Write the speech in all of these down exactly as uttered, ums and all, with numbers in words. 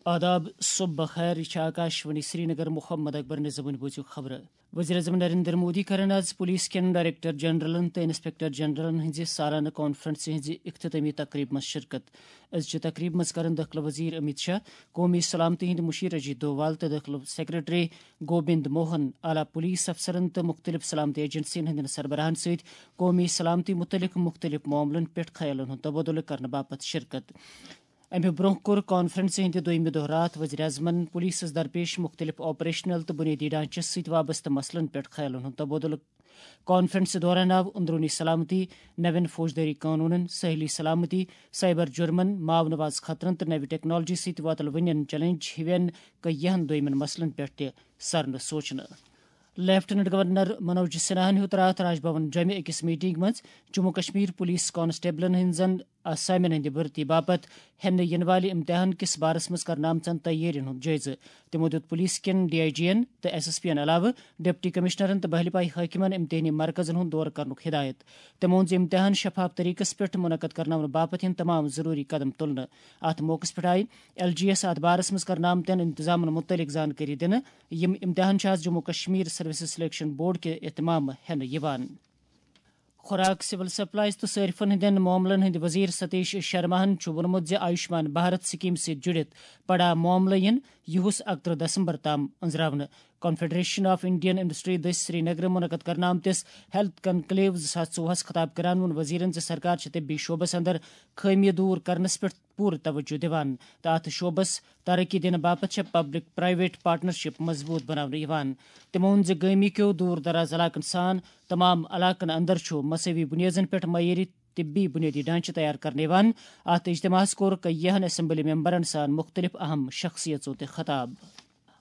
آداب، صبح بخیر، یہِ چھِ آکاش وانی سرینگر۔ محمد اکبر نظامٕنۍ بوٗزِو خبرٕ۔ وزیر اعظم نریندر مودی کرن آز پولیس کٮ۪ن ڈائریکٹر جنرلن تہٕ انسپکٹر جنرلن ہٕنٛزِ سالانہٕ کانفرنسہِ ہٕنٛزِ اختتامی تقریبہِ منٛز شرکت۔ أزچہِ تقریبہِ منٛز کرن دٲخلہٕ وزیر امیت شاہ، قومی سلامتی ہٕنٛدۍ مُشیر اجیت دووال تہٕ دٲخلہٕ سیکرٹری گوبند موہن، اعلیٰ پولیس افسرن تہٕ مُختٔلِف سلامتی ایجنسین ہٕنٛدٮ۪ن سربراہن سۭتۍ قومی سلامتی مُتعلق مُختٔلِف معاملن پٮ۪ٹھ خیالن ہُنٛد تبادلہٕ کرنہٕ باپتھ شرکت۔ امہِ برونٛہہ کوٚر کانفرنسہِ ہٕنٛدِ دوٚیمہِ دۄہ راتھ وزیر اعظمن پولیسس درپیش مُختٔلِف آپریشنل تہٕ بُنیٲدی ڈھانچس سۭتۍ وابستہٕ مسلن پٮ۪ٹھ خیالن ہُنٛد تبادلہٕ۔ کانفرنسہِ دوران آو اندرونی سلامتی، نوین فوجدٲری قونوٗنن، ساحلی سلامتی، سائبر جرمن، ماونواز خطرن تہٕ نوِ ٹیکنالوجی سۭتۍ وۄتلوٕنٮ۪ن چیلنج ہِوٮ۪ن کیہن دویمٮ۪ن مسلن پٮ۪ٹھ تہِ سرنہٕ سوچنہٕ۔ لیفٹیننٹ گورنر منوج سنہاہن ہیوٚت راتھ راج بھون جوٚمہِ أکِس میٹنگ منٛز جموں کشمیر پولیس کانسٹیبلن ہٕنٛزن آسامٮ۪ن ہٕنٛدِ بھرتی باپتھ ہٮ۪نہٕ یِنہٕ والہِ امتحان کِس بارس منٛز کرنہٕ آمژن تیٲرین ہُنٛد جٲیزٕ۔ تِمو دِیُت پولیس کٮ۪ن ڈی آئی جی ین تہٕ ایس ایس پی ین علاوٕ ڈپٹی کمشنرن تہٕ بحلپائی حٲکمن امتحٲنی مرکزن ہُنٛد دورٕ کرنُک ہدایت۔ تِمو ووٚن زِ امتحان شفاف طریقس پٮ۪ٹھ منعقد کرناونہٕ باپتھ یِن تمام ضروری قدم تُلنہٕ۔ اتھ موقعس پٮ۪ٹھ آیہِ ایل جی یس اتھ بارس منٛز کرنہٕ آمتٮ۪ن انتظامن مُتعلق زانکٲری دِنہٕ۔ یِم امتحان چھِ آز Jammu Kashmir services selection board کہِ اہتمام ہٮ۪نہٕ یِوان۔ خوراک، سول سپلائز تہٕ صارفن ہٕنٛدٮ۪ن معاملن ہٕنٛدۍ وزیر ستیش شرماہن چھُ ووٚنمُت زِ آیوشمان بھارت سکیمہِ سۭتۍ جُڑِتھ پڑا معاملہٕ یِن یِہُس اکترٕہ دسمبر تام أنٛزراونہٕ۔ کانفیڈریشن آف انڈین انڈسٹری دٔسۍ سرینگرٕ منعقد کرنہٕ آمتِس ہیلتھ کنکلیو زٕ ساس ژوٚوُہس خطاب کران ووٚن وزیرن زِ سرکار چھِ طبی شعبس اندر خٲمی دور کرنس پٮ۪ٹھ پوٗرٕ توجہ دِوان تہٕ اتھ شعبس ترقی دِنہٕ باپتھ چھےٚ پبلک پرائیویٹ پارٹنرشپ مضبوٗط بناونہٕ یِوان۔ تِمو ووٚن زِ گٲمی کیو دور دراز علاقن سان تمام علاقن اندر چھُ مساوی بنیادن پٮ۪ٹھ معیٲری طبی بنیٲدی ڈھانچہٕ تیار کرنہٕ یِوان۔ اتھ اجتماعس کوٚر کیہن اسمبلی ممبرن سان مُختٔلِف اہم شخصیژو تہِ خطاب۔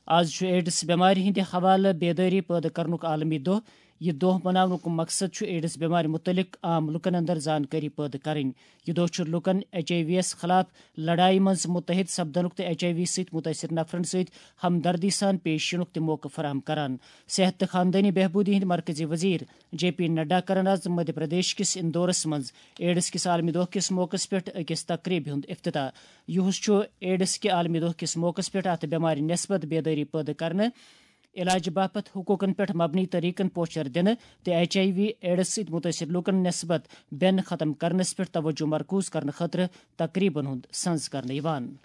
آز چھُ ایڈز بٮ۪مارِ ہٕنٛدِ حوالہٕ بیدٲری پٲدٕ کرنُک عالمی دۄہ۔ یہِ دۄہ مناونُک مقصد چھُ ایڈز بٮ۪مارِ مُتعلق عام لوٗکن اندر زانکٲری پٲدٕ کرٕنۍ۔ یہِ دۄہ چھُ لوٗکن ایچ آئی وی یَس خلاف لڑایہِ منٛز مُتحد سپدنُک تہٕ ایچ آئی وی سۭتۍ مُتٲثر نفرن سۭتۍ ہمدردی سان پیش یِنُک تہِ موقعہٕ فراہم کران۔ صحت تہٕ خاندٲنی بہبوٗدی ہٕنٛدۍ مرکزی وزیر جے پی نڈا کرن آز مدھیہ پردیش کِس اندورس منٛز ایڈز کِس عالمی دۄہ کِس موقعس پٮ۪ٹھ أکِس تقریبہِ ہُنٛد افتتاح۔ یُہُس چھُ ایڈز کہِ عالمی دۄہ کِس موقعس پٮ۪ٹھ اتھ بٮ۪مارِ نسبت بیدٲری پٲدٕ کرنہٕ، علاج باپتھ حقوقن پٮ۪ٹھ مبنی طریقن پوچھر دِنہٕ تہٕ ایچ آئی وی ایڈز سۭتۍ مُتٲثر لوٗکن نسبت بٮ۪ن ختم کرنس پٮ۪ٹھ توجہ مرکوز کرنہٕ خٲطرٕ تقریبن ہُنٛد سنز کرنہٕ یِوان۔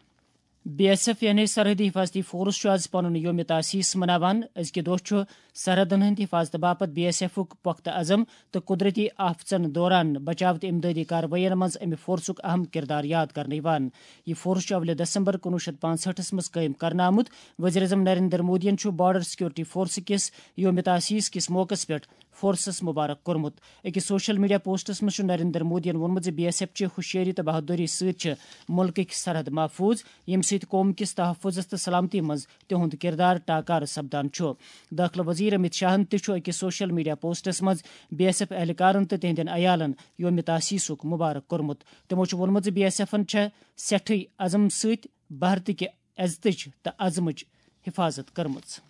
بی ایس ایف یعنی سرحدی حفاظتی فورس چھُ آز پنُن یوم تاسیس مناوان۔ أزکہِ دۄہ چھُ سرحدن ہٕنٛدِ حفاظتہٕ باپتھ بی ایس ایفُک پۄختہٕ عزم تہٕ قدرتی آفتن دوران بچاو تہٕ امدادی کاروٲیین منٛز امہِ فورسُک اہم کردار یاد کرنہٕ یِوان۔ یہِ فورس چھُ اولہِ دسمبر کُنوُہ شیٚتھ پانٛژہٲٹھس منٛز قٲیِم کرنہٕ آمُت۔ وزیر اعظم نریندر مودیَن چھُ بارڈر سیکورٹی فورس کِس یوم تاسیس کِس موقعس پٮ۪ٹھ فورسس مبارک کوٚرمُت۔ أکِس سوشل میڈیا پوسٹس منٛز چھُ نریندر مودیَن ووٚنمُت زِ بی ایس ایف چہِ ہوشیٲری تہٕ بہادری سۭتۍ چھِ مُلکٕکۍ سرحد محفوظ، ییٚمہِ سۭتۍ قوم کِس تحفظس تہٕ سلامتی منٛز تِہُنٛد کردار ٹاکارٕ سپدان چھُ۔ دٲخلہٕ وزیر امت شاہن تہِ چھُ أکِس سوشل میڈیا پوسٹس منٛز بی ایس ایف اہلکارن تہٕ تِہنٛدٮ۪ن عیالن یوم تاسیسُک مبارک کوٚرمُت۔ تِمو چھُ ووٚنمُت زِ بی ایس ایفن چھےٚ سٮ۪ٹھٕے عزم سۭتۍ بھارتٕکہِ عزتٕچ تہٕ عزمٕچ حفاظت کٔرمٕژ۔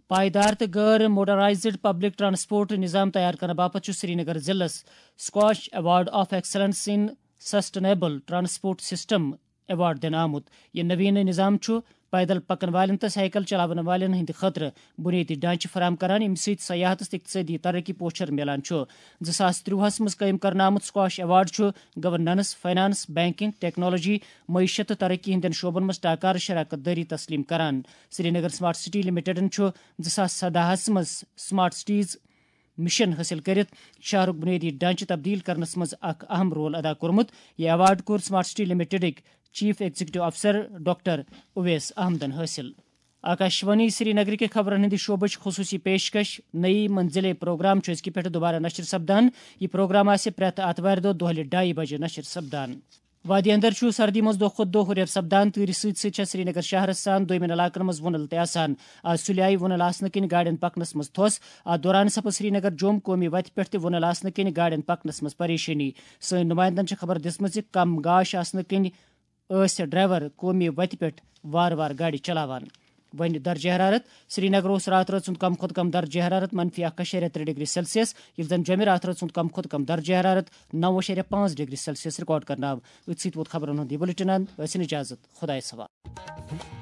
پائیدار تہٕ غٲر موٹرائزڈ پبلک ٹرانسپورٹ نظام تیار کرنہٕ باپتھ چھُ سرینگر ضلعس Squash Award of Excellence in Sustainable Transport System award دِنہٕ آمُت۔ یہِ نویٖنہٕ نظام چھُ پیدل پکن والٮ۪ن تہٕ سائیکل چلاون والٮ۪ن ہٕنٛدِ خٲطرٕ بنیٲدی ڈھانچہٕ فراہم کران، ییٚمہِ سۭتۍ سیاحتس تہٕ اقتصٲدی ترقی پوچھر میلان چھُ۔ زٕ ساس ترٛوہس منٛز قٲیِم کرنہٕ آمُت سکواش ایوارڈ چھُ گورننس، فنانس، بینکنگ، ٹیکنالوجی، معیشت تہٕ ترقی ہٕنٛدٮ۪ن شعبن منٛز ٹاکارٕ شراکت دٲری تسلیم کران۔ سرینگر سمارٹ سٹی لمیٹڈن چھُ زٕ ساس سداہس منٛز سمارٹ سٹیز مشن حٲصِل کٔرِتھ شہرُک بنیٲدی ڈھانچہٕ تبدیل کرنس منٛز اکھ اہم رول ادا کوٚرمُت۔ یہِ ایوارڈ کوٚر سمارٹ سٹی لمیٹڈٕکۍ چیف ایگزیکٹو افسر ڈاکٹر اویس احمدن حٲصِل۔ آکاشوانی سرینگرٕکہِ خبرن ہٕنٛدِ شعبٕچ خصوٗصی پیشکش نئی منزلیں پروگرام چھُ أزکہِ پٮ۪ٹھٕ دُبارٕ نشر سپدان۔ یہِ پروگرام آسہِ پرٛٮ۪تھ آتھوارِ دۄہ دۄہلہِ ڈایہِ بجہِ نشر سپدان۔ وادی اندر چھُ سردی منٛز دۄہ کھۄتہٕ دۄہ ہُرٮ۪ر سپدان۔ تۭرِ سۭتۍ سۭتۍ چھےٚ سرینگر شہرس سان دویمٮ۪ن علاقن منٛز وُنل تہِ آسان۔ آز سُلہِ آیہِ وُنل آسنہٕ کِنۍ گاڑٮ۪ن پکنس منٛز تھوٚس۔ اتھ دوران سپٕز سرینگر جوم قومی وتہِ پٮ۪ٹھ تہِ وُنل آسنہٕ کِنۍ گاڑٮ۪ن پکنس منٛز پریشٲنی۔ سٲنۍ نمائندن چھےٚ خبر دِژمٕژ زِ کم گاش آسنہٕ کِنۍ ٲسۍ ڈرائیور قومی وتہِ پٮ۪ٹھ وارٕ وارٕ گاڑِ چلاوان۔ وۄنۍ درجہ حرارت۔ سرینگر اوس راتہٕ رٲژ ہُنٛد کم کھۄتہٕ کم درجہ حرارت منفی اکھ اَشاریہ ترٛےٚ ڈگری سیلسیس، ییٚلہِ زن جوٚمہِ راتہٕ رٲژ ہُنٛد کم کھۄتہٕ کم درجہ حرارت نو اَشاریہ پانٛژھ ڈگری سیلسیس ریکارڈ کرنہٕ آو۔ أتھۍ سۭتۍ ووت خبرن ہُنٛد یہِ بلیٹن اند۔ ٲسِن اجازت، خدایس حوالہٕ۔